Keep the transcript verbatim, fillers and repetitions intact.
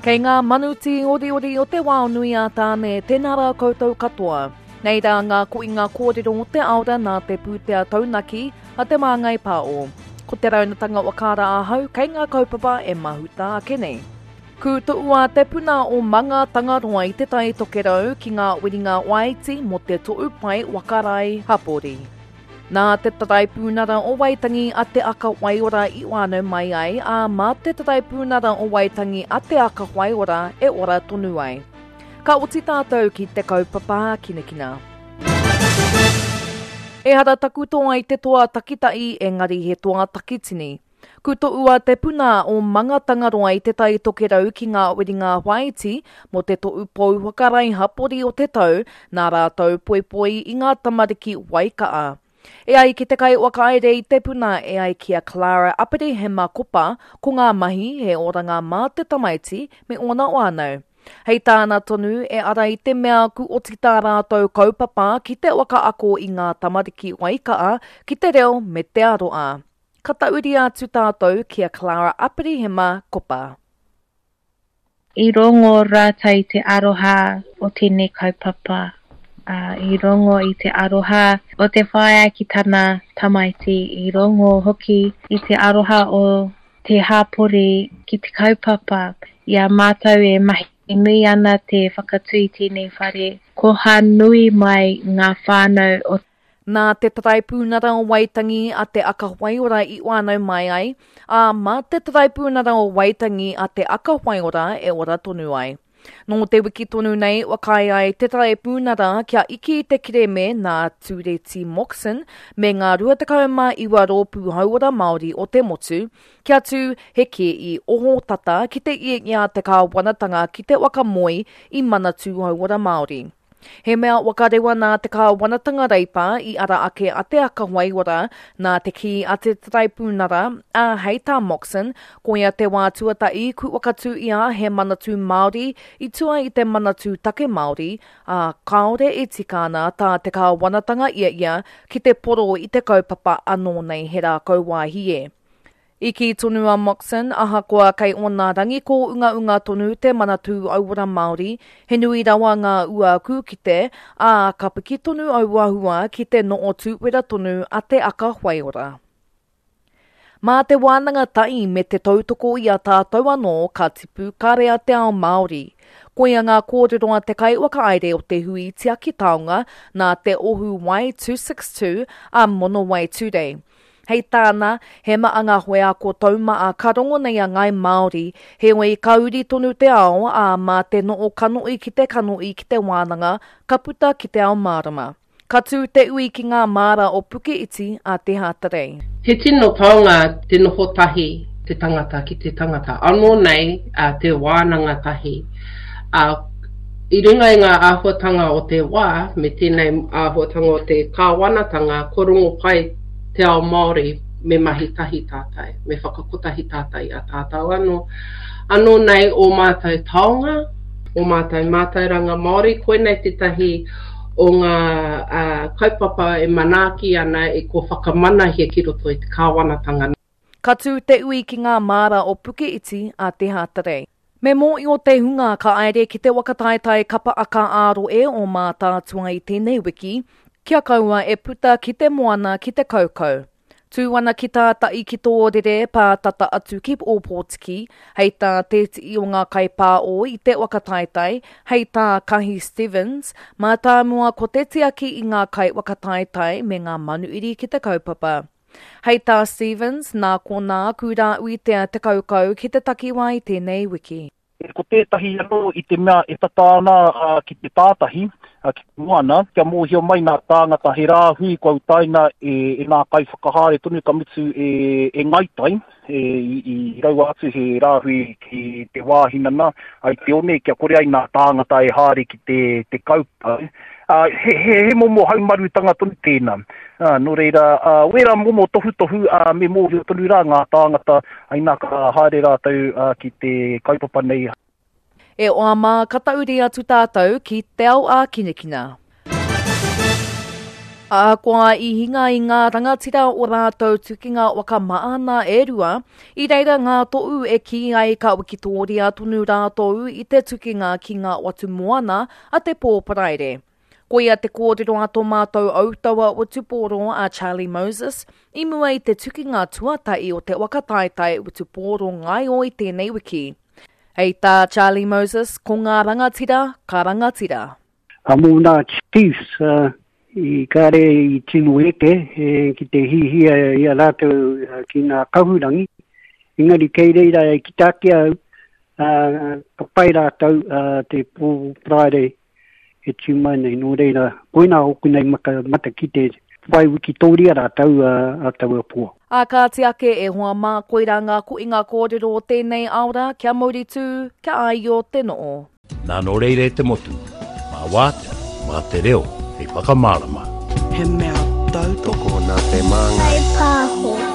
Kei ngā manu tīoriori o te wao nui a Tāne, tēnā rā koutou katoa. Nei rā ngā koinga kōrero o te aora nā te pūtea taunaki a Te Māngai Pāo. Ko te raunatanga o Kāra Ahau kei ngā kaupapa e mahuta ake nei. Kūtoua te puna o Manga Tangaroa i Te Tai Tokerau ki ngā wiringa waiti mō te to'u pai wakarai hapori. Nā te Taraipiunara o Waitangi a Te Aka Waiora i whānau mai ai, ā, mā te Taraipiunara o Waitangi a Te Aka Waiora e ora tonu ai. Ka oti tātou ki te kaupapa hākinakina. Ehara taku toa i te toa takitahi, engari he toa takitini. Kutoua te puna o Manga Tangaroa i Te Tai Tokerau ki ngā wiringa whāiti mō te to'u pou whakarai hapori o te tau nā rātou poipoi i ngā tamariki waika'a. E ai ki te kaiwhakaere i te puna, e ai ki a Clara Aperehema Kopa, ko ngā mahi he oranga mā te tamaiti me ōna whānau. Hei tāna tonu, e ara i te mea ku oti tā rātou kaupapa ki te whakaako i ngā tamariki waika'a ki te reo me te aroa. Ka tauria atu tātou ki a Clara Aperehema Kopa. I rongo rātou i te aroha o tēnei kaupapa. Uh, I rongo i te aroha o te whaea ki tana tamaiti. I rongo hoki i te aroha o te hapori ki te kaupapa. I a mātou e mahi nui ana te whakatū i tēnei whare. Koha nui mai ngā whānau o Nā te Taraipiunara o Waitangi a Te Aka Waiora i whānau mai ai, ā, mā te Taraipiunara o Waitangi a Te Aka Waiora e ora tonu ai. Nō te wiki tonu nei, whakaae ai te Taraipiunara kia iki i te kereme nā Tūreti Moxon me ngā rua tekau mā iwa rōpū hauora Māori o te motu, kia tū he kēi oho tata ki te iengia te kāwanatanga ki te whakamoe i Manatū Hauora Māori. He mea wakarewa nā te kāwanatanga reipa i ara ake a Te Aka Waiora nā te kī a te Taraipiunara, ā, hei tā Moxon, koia te wā tuatahi ku whakatū ia he manatū Māori i tua i te manatū take Māori, ā, kāore e tika ana tā te kāwanatanga ia ia ki te poro i te kaupapa anō nei he rākau wāhie. I kī tonu a Moxon, ahakoa kei ōna rangi kōungaunga tonu te Manatū Hauora Māori, he nui rawa ngā ua kūkite, ā, ka piki tonu aua hua ki te noo tūwera tonu a Te Aka Waiora. Mā te wānanga tahi me te tautoko i a tātou anō ka tipu ka rea te ao Māori. Koia ngā kōrero a te kaiwhakaere o te hui tiaki taonga nā te ohu Y two six two a Monowai Today. Hei tāna, he maa ngā hoeako taumaa ka rongo nei a Ngai Māori, heoi ka uri tonu te ao ā mā te noo kanoi ki te kanoi ki te wānanga, ka puta ki te ao mārama. Ka tū te ui ki ngā māra o Puke Iti a Te Hātarei. He tino taonga te noho tahi te tangata ki te tangata. Anō nei a, te wānanga tahi. A, i runga i ngā āhuatanga o te wā, me tēnei āhuatanga o te kāwanatanga, ko rongo pai te ao Māori me mahi tahi tātai, me whakakotahi tātai a tātou anō. Anō nei o mātou taonga, o mātou mātauranga Māori, koinei tētahi o ngā uh, kaupapa e manaaki ana e ko whakamanahia ki roto i te kāwanatanga. Ka tū te ui ki ngā māra o Puke Iti a Te Hātarei. Me mōio te hunga ka aere ki te whakataetae kapa aka ā-roe o Mātaatua i tēnei wiki, kia kaua e puta ki te moana ki te kaukau. Tū ana ki tātai ki tōrere pātata atu ki Ōpōtiki, hei tā te tii o ngā kaipāo i te whakataetae, hei tā Kahi Stevens, mā tāmua ko te tiaki i ngā kai whakataetae me ngā manuiri ki te kaupapa. Hei tā Stevens, nā konā kūrā uitea te kaukau ki te takiwā i tēnei wiki. Ko tētahi anō i te mea e tata ana uh, ki te tātahi, uh, ki te moana, kia mōhio mai nā tāngata he rāhui kua utaina e, e nā kaiwhakahaere tonu ka mutu e, e ngaitai, e, i, i raua atu he rāhui ki te wāhinana ai te one, kia kore ai nā tāngata e haere ki te, te kaupau. Uh, he, he, he momo haumarutanga tonu tēnā. Uh, nō reira, uh, wera momo tohutohu uh, me mōhio tonu rā ngā tāngata ai nā ka haere rātou uh, ki te kaupapa nei. E oa mā ka tauri atu tātou ki te ao ākinakina. Ahakoa i hinga i ngā rangatira o rātou tukinga waka maana e rua, i reira ngā to'u e kī ai ka wikitōria tonu rātou i te tukinga ki ngā watu moana a te pō Paraire. Koia te kōrero a tō mātou autaua wutupōro a Charlie Moses i mua i te tukinga tuatahi o te waka taetae wutupōro ngaio i tēnei wiki. Hei tā Charlie Moses, ko ngā rangatira, ka rangatira. A mō ngā Chiefs, uh, i kāre i tino eke e, ki te hihia i a rātou ki ngā kahurangi. Engari kei reira e ki tāke au, uh, ka pai rātou uh, te pō Paraire e tū mai nei. Nō reira, koina hoku nei maka, mata ki te whai wikitoria rātou uh, a taua pō. A kāti ake e hoa mā koira ngā koinga kōrero o tēnei aora, kia mauri tū, kia aio te noo. Nā nō reire te motu, mā wātea, mā te reo, hei whakamārama. He mea tautoko nā te māngai. Pāho.